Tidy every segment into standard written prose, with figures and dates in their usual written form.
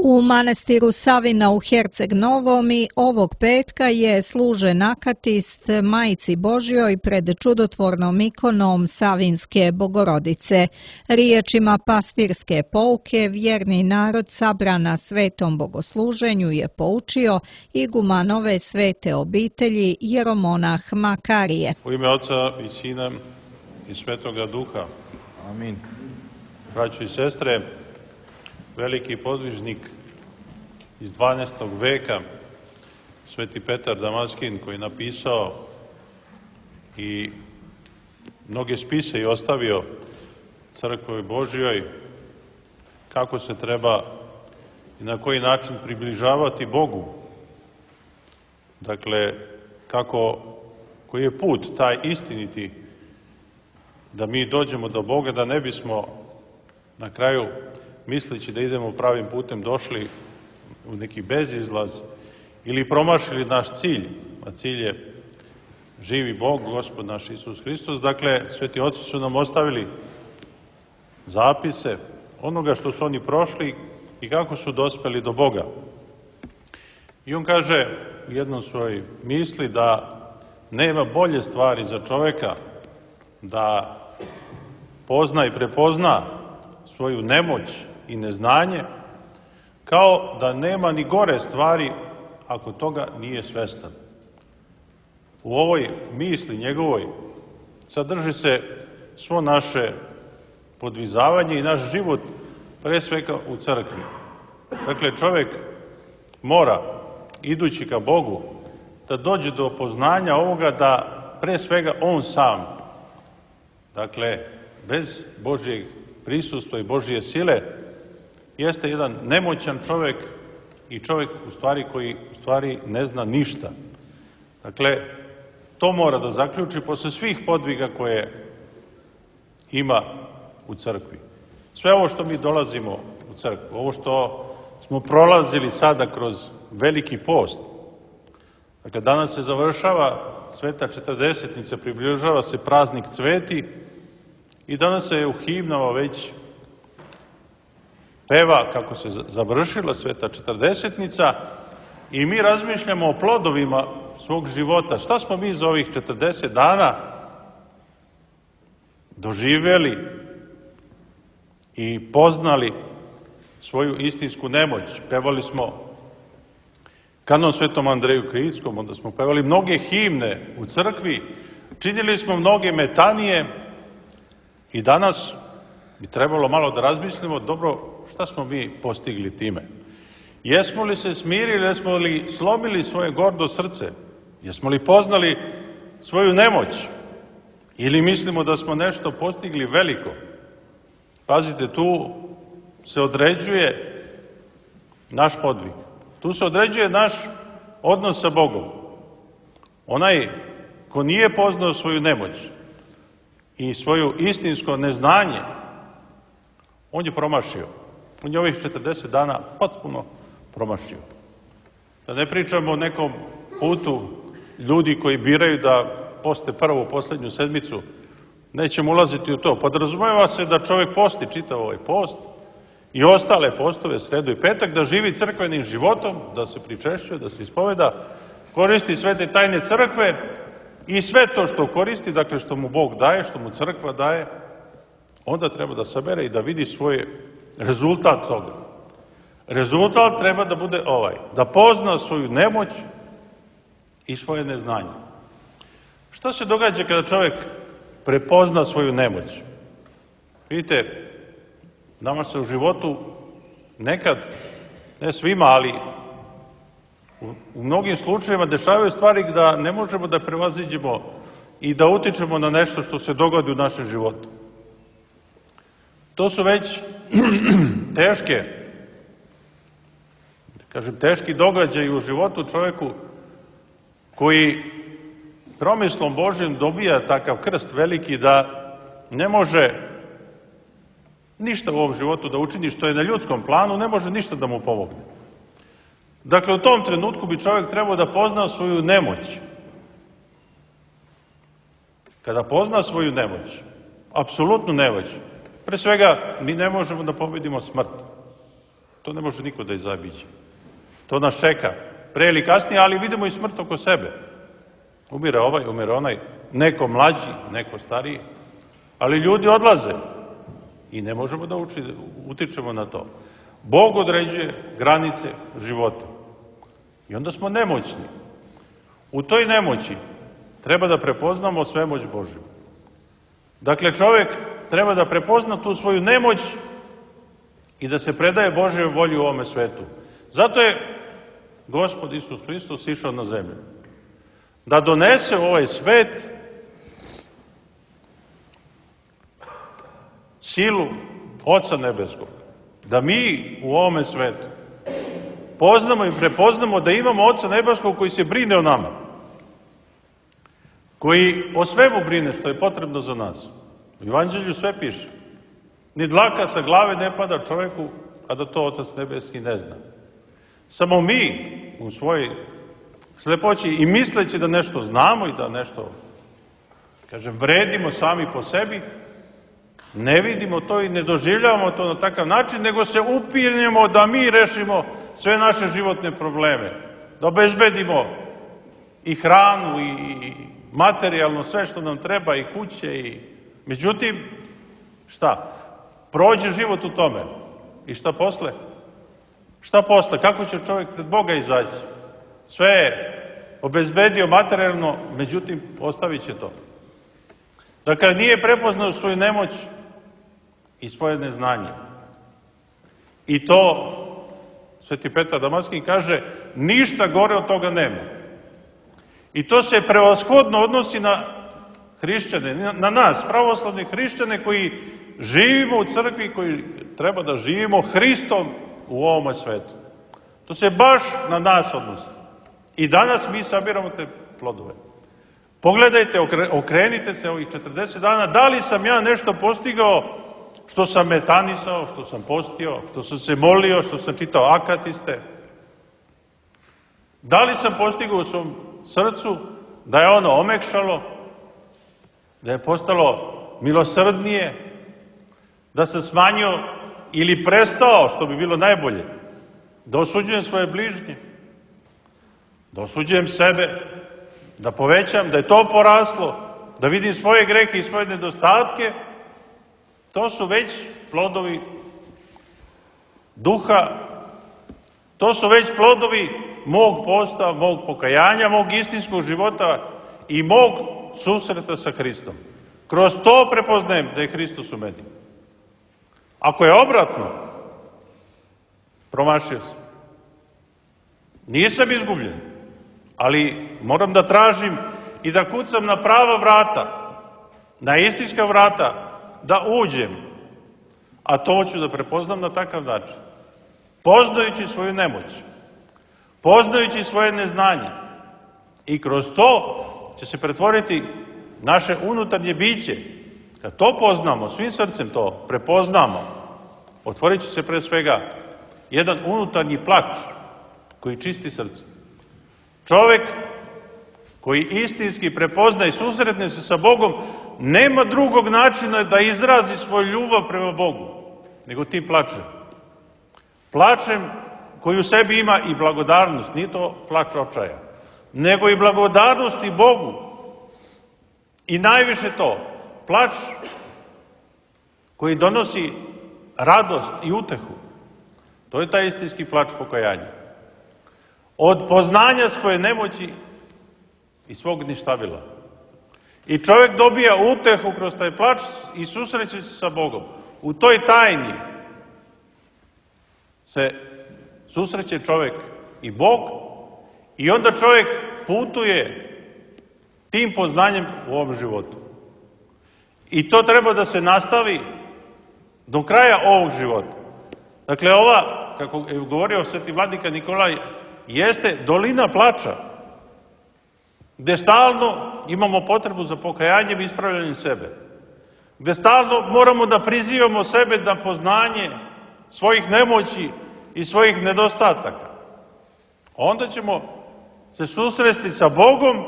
U manastiru Savina u Herceg Novomi ovog petka je služen akatist Majci Božjoj pred čudotvornom ikonom Savinske Bogorodice. Riječima pastirske pouke vjerni narod sabran na svetom bogosluženju je poučio iguman ove svete obitelji jeromonah Makarije. U ime Oca i Sina i Svetoga Duha. Amin. Braćo i sestre, veliki podvižnik iz 12. veka, Sveti Petar Damaskin, koji je napisao i mnoge spise i ostavio Crkvi Božjoj, kako se treba i na koji način približavati Bogu. Dakle, koji je put taj istiniti da mi dođemo do Boga, da ne bismo na kraju, misleći da idemo pravim putem, došli u neki bezizlaz ili promašili naš cilj, a cilj je živi Bog, Gospod naš Isus Hristos. Dakle, sveti oci su nam ostavili zapise onoga što su oni prošli i kako su dospeli do Boga. I on kaže u jednom svojoj misli da nema bolje stvari za čoveka da pozna i prepozna svoju nemoć i neznanje, kao da nema ni gore stvari ako toga nije svestan. U ovoj misli njegovoj sadrži se svo naše podvizavanje i naš život, pre svega u crkvi. Dakle, čovjek mora, idući ka Bogu, da dođe do poznanja ovoga da pre svega on sam, dakle, bez Božjeg prisustva i Božje sile, jeste jedan nemoćan čovjek i čovjek koji u stvari ne zna ništa. Dakle, to mora da zaključi posle svih podviga koje ima u crkvi. Sve ovo što mi dolazimo u crkvu, ovo što smo prolazili sada kroz veliki post, dakle, danas se završava Sveta Četrdesetnica, približava se praznik Cveti i danas se u himnama već peva kako se završila Sveta Četrdesetnica i mi razmišljamo o plodovima svog života. Šta smo mi za ovih 40 dana doživjeli i poznali svoju istinsku nemoć? Pevali smo kanon Svetom Andreju Krickom, onda smo pevali mnoge himne u crkvi, činili smo mnoge metanije i danas bi trebalo malo da razmislimo, dobro, šta smo mi postigli time? Jesmo li se smirili, jesmo li slomili svoje gordo srce? Jesmo li poznali svoju nemoć? Ili mislimo da smo nešto postigli veliko? Pazite, tu se određuje naš podvig. Tu se određuje naš odnos sa Bogom. Onaj ko nije poznao svoju nemoć i svoju istinsko neznanje, on je promašio. On je ovih 40 dana potpuno promašio. Da ne pričamo o nekom putu ljudi koji biraju da poste prvu, poslednju sedmicu, nećemo ulaziti u to. Podrazumeva se da čovjek posti čitav ovaj post i ostale postove, sredu i petak, da živi crkvenim životom, da se pričešćuje, da se ispoveda, koristi svete tajne crkve i sve to što koristi, dakle što mu Bog daje, što mu crkva daje, onda treba da sabere i da vidi svoj rezultat toga. Rezultat treba da bude ovaj, da pozna svoju nemoć i svoje neznanje. Šta se događa kada čovjek prepozna svoju nemoć? Vidite, nama se u životu nekad, ne svima, ali u mnogim slučajevima dešavaju stvari da ne možemo da prevaziđemo i da utičemo na nešto što se dogodi u našem životu. To su već teški događaji u životu čovjeku koji promislom Božjim dobija takav krst veliki da ne može ništa u ovom životu da učini što je na ljudskom planu, ne može ništa da mu pomogne. Dakle, u tom trenutku bi čovjek trebao da pozna svoju nemoć. Kada pozna svoju nemoć, apsolutnu nemoć, pre svega mi ne možemo da pobedimo smrt. To ne može niko da izabiđe. To nas čeka pre ili kasnije, ali vidimo i smrt oko sebe. Umire ovaj, umire onaj, neko mlađi, neko stariji, ali ljudi odlaze i ne možemo da utičemo na to. Bog određuje granice života i onda smo nemoćni. U toj nemoći treba da prepoznamo svemoć Božju. Dakle, čovek treba da prepozna tu svoju nemoć i da se predaje Božjoj volji u ovome svetu. Zato je Gospod Isus Hristos išao na zemlju. Da donese u ovaj svet silu Oca Nebeskog. Da mi u ovome svetu poznamo i prepoznamo da imamo Oca Nebeskog koji se brine o nama. Koji o svemu brine što je potrebno za nas. U Evanđelju sve piše. Ni dlaka sa glave ne pada čoveku, a da to Otac Nebeski ne zna. Samo mi u svojoj slepoći i misleći da nešto znamo i da nešto, vredimo sami po sebi, ne vidimo to i ne doživljavamo to na takav način, nego se upinjemo da mi rešimo sve naše životne probleme. Da obezbedimo i hranu i materijalno sve što nam treba i kuće i... Međutim, šta? Prođe život u tome. I šta posle? Šta posle? Kako će čovjek pred Boga izaći? Sve je obezbedio materijalno, međutim, ostavit će to. Dakle, nije prepoznao svoju nemoć i svoje neznanje. I to, Sveti Petar Damaskin kaže, ništa gore od toga nema. I to se prevashodno odnosi na hrišćane, na nas, pravoslavne hrišćane koji živimo u crkvi, koji treba da živimo Hristom u ovome svetu. To se baš na nas odnosi. I danas mi sabiramo te plodove. Pogledajte, okrenite se ovih 40 dana, da li sam ja nešto postigao što sam metanisao, što sam postio, što sam se molio, što sam čitao akatiste. Da li sam postigao u svom srcu da je ono omekšalo, da je postalo milosrdnije, da sam smanjio ili prestao, što bi bilo najbolje, da osuđujem svoje bližnje, da osuđujem sebe, da povećam, da je to poraslo, da vidim svoje grehe i svoje nedostatke, to su već plodovi duha, to su već plodovi mog posta, mog pokajanja, mog istinskog života i mog susreta sa Hristom. Kroz to prepoznajem da je Hristos u meni. Ako je obratno, promašio sam. Nisam izgubljen, ali moram da tražim i da kucam na prava vrata, na istinska vrata, da uđem. A to ću da prepoznam na takav način. Poznajući svoju nemoć, poznajući svoje neznanje. I kroz to će se pretvoriti naše unutarnje biće. Kad to poznamo, svim srcem to prepoznamo, otvorit će se pre svega jedan unutarnji plač koji čisti srce. Čovek koji istinski prepozna i susretne se sa Bogom, nema drugog načina da izrazi svoju ljubav prema Bogu, nego tim plačem. Plačem koji u sebi ima i blagodarnost, nije to plač očaja, nego i blagodarnost i Bogu. I najviše to, plač koji donosi radost i utehu. To je taj istinski plač pokajanja. Od poznanja svoje nemoći i svog ništavila. I čovjek dobija utehu kroz taj plač i susreće se sa Bogom. U toj tajni se susreće čovjek i Bog i onda čovjek putuje tim poznanjem u ovom životu. I to treba da se nastavi do kraja ovog života. Dakle, ova, kako je govorio sveti vladika Nikolaj, jeste dolina plača, gde stalno imamo potrebu za pokajanjem i ispravljanjem sebe. Gde stalno moramo da prizivamo sebe na poznanje svojih nemoći i svojih nedostataka. Onda ćemo se susresti sa Bogom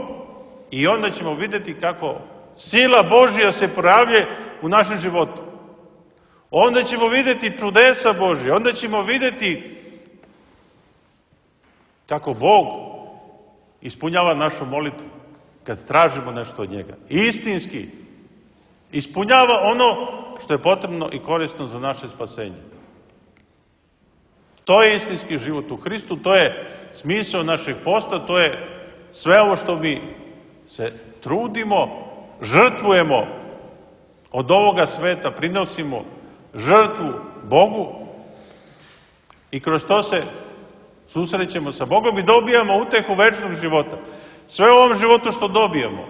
i onda ćemo vidjeti kako sila Božja se projavlja u našem životu. Onda ćemo vidjeti čudesa Božje, onda ćemo vidjeti kako Bog ispunjava našu molitvu kad tražimo nešto od njega. Istinski ispunjava ono što je potrebno i korisno za naše spasenje. To je istinski život u Hristu, to je smisao našeg posta, to je sve ovo što mi se trudimo, žrtvujemo od ovoga sveta, prinosimo žrtvu Bogu i kroz to se susrećemo sa Bogom i dobijamo utehu večnog života. Sve u ovom životu što dobijemo.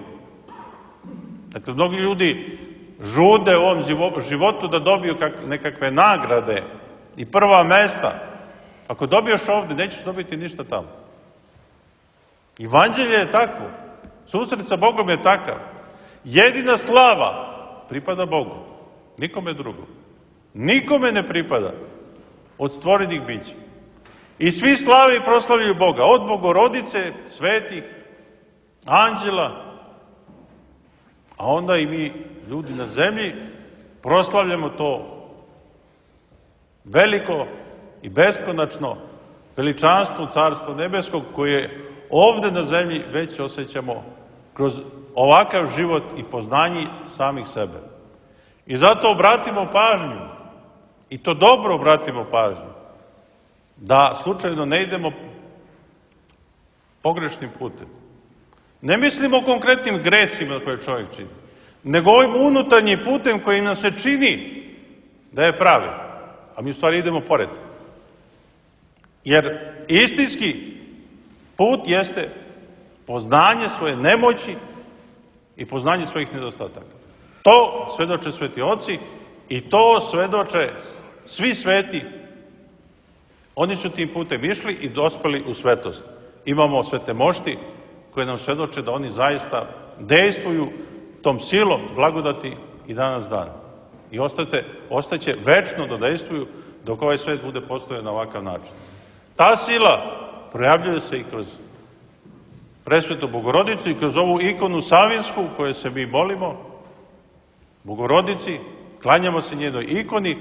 Dakle, mnogi ljudi žude u ovom životu da dobiju nekakve nagrade i prva mesta. Ako dobiješ ovdje, nećeš dobiti ništa tamo. Evanđelje je takvo. Susret sa Bogom je takav. Jedina slava pripada Bogu. Nikome drugom. Nikome ne pripada od stvorenih bića. I svi slave i proslavljaju Boga. Od Bogorodice, svetih, anđela, a onda i mi, ljudi na zemlji, proslavljamo to veliko i beskonačno veličanstvo Carstva nebeskog koje ovde na zemlji već osjećamo kroz ovakav život i poznanje samih sebe. I zato obratimo pažnju, i to dobro obratimo pažnju, da slučajno ne idemo pogrešnim putem. Ne mislimo o konkretnim gresima koje čovjek čini, nego ovim unutarnjim putem koji nam se čini da je pravi, a mi u stvari idemo pored. Jer istinski put jeste poznanje svoje nemoći i poznanje svojih nedostataka. To svedoče sveti oci i to svedoče svi sveti. Oni su tim putem išli i dospeli u svetost. Imamo svete mošti koje nam svedoče da oni zaista dejstvuju tom silom blagodati i danas dan. I ostaće večno da dejstvuju dok ovaj svet bude postojao na ovakav način. Ta sila projavljuje se i kroz presvetu Bogorodicu i kroz ovu ikonu Savinsku koju se mi molimo, Bogorodici, klanjamo se njenoj ikoni,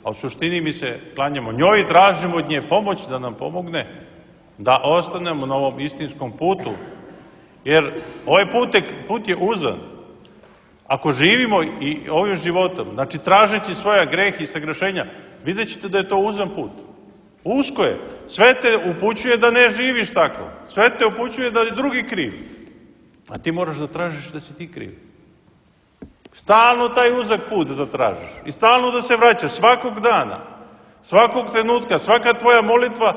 a u suštini mi se klanjamo njoj i tražimo od nje pomoć da nam pomogne da ostanemo na ovom istinskom putu. Jer ovaj put je uzan. Ako živimo i ovim životom, znači tražeći svoja greha i sagrešenja, vidjet ćete da je to uzan put. Usko je. Sve te upućuje da ne živiš tako. Sve te upućuje da je drugi kriv. A ti moraš da tražiš da si ti kriv. Stalno taj uzak put da tražiš. I stalno da se vraćaš svakog dana, svakog trenutka, svaka tvoja molitva,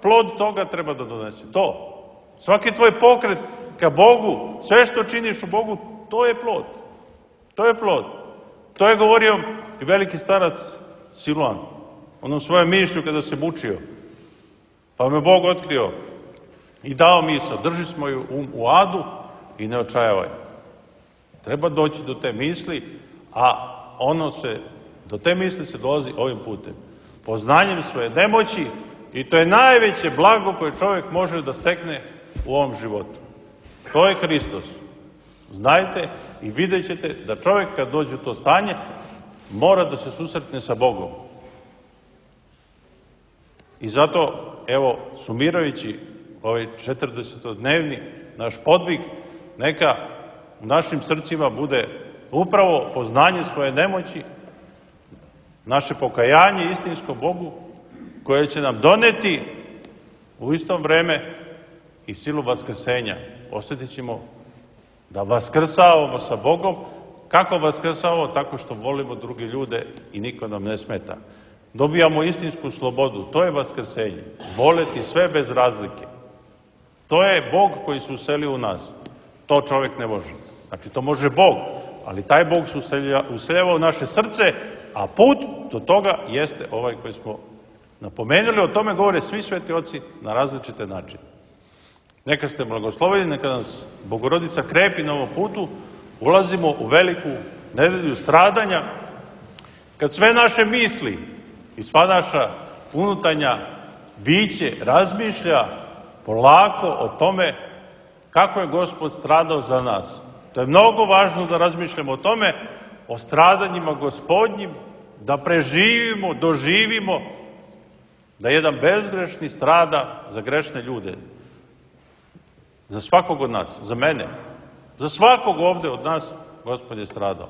plod toga treba da donese. To. Svaki tvoj pokret ka Bogu, sve što činiš u Bogu, to je plod. To je plod. To je govorio i veliki starac Siluan. Onom svojom mišlju kada se mučio. Pa me Bog otkrio i dao misao. Drži svoju u adu i ne očajavaj. Treba doći do te misli, a do te misli se dolazi ovim putem. Poznanjem svoje nemoći i to je najveće blago koje čovjek može da stekne u ovom životu. To je Hristos. Znajte i vidjet ćete da čovjek kad dođe u to stanje mora da se susretne sa Bogom. I zato, evo, sumirajući ovaj 40-dnevni naš podvig, neka u našim srcima bude upravo poznanje svoje nemoći, naše pokajanje istinsko Bogu, koje će nam doneti u isto vreme i silu vaskrsenja. Osjetit ćemo da vaskrsavamo sa Bogom. Kako vaskrsavamo? Tako što volimo druge ljude i niko nam ne smeta. Dobijamo istinsku slobodu. To je vaskrsenje. Voleti sve bez razlike. To je Bog koji se uselio u nas. To čovjek ne može. Znači, to može Bog, ali taj Bog se useljava u naše srce, a put do toga jeste ovaj koji smo napomenuli. O tome govore svi sveti oci na različite načine. Neka ste blagosloveni, neka nas Bogorodica krepi na ovom putu, ulazimo u veliku nedelju stradanja, kad sve naše misli i sva naša unutarnja biće razmišlja polako o tome kako je Gospod stradao za nas. To je mnogo važno da razmišljamo o tome, o stradanjima Gospodnjim da preživimo, doživimo da jedan bezgrešni strada za grešne ljude. Za svakog od nas, za mene, za svakog ovde od nas, Gospod je stradao.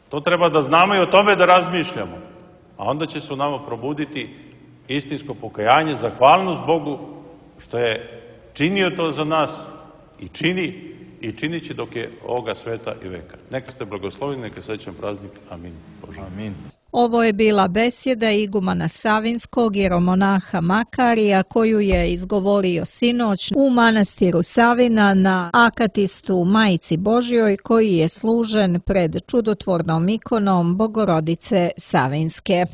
To treba da znamo i o tome da razmišljamo. A onda će se u nama probuditi istinsko pokajanje, zahvalnost Bogu što je činio to za nas i činit će dok je ovoga sveta i veka. Neka ste blagosloveni, neka srećan praznik. Amin. Bože. Amin. Ovo je bila besjeda igumana Savinskog jeromonaha Makarija koju je izgovorio sinoć u manastiru Savina na akatistu Majci Božjoj koji je služen pred čudotvornom ikonom Bogorodice Savinske.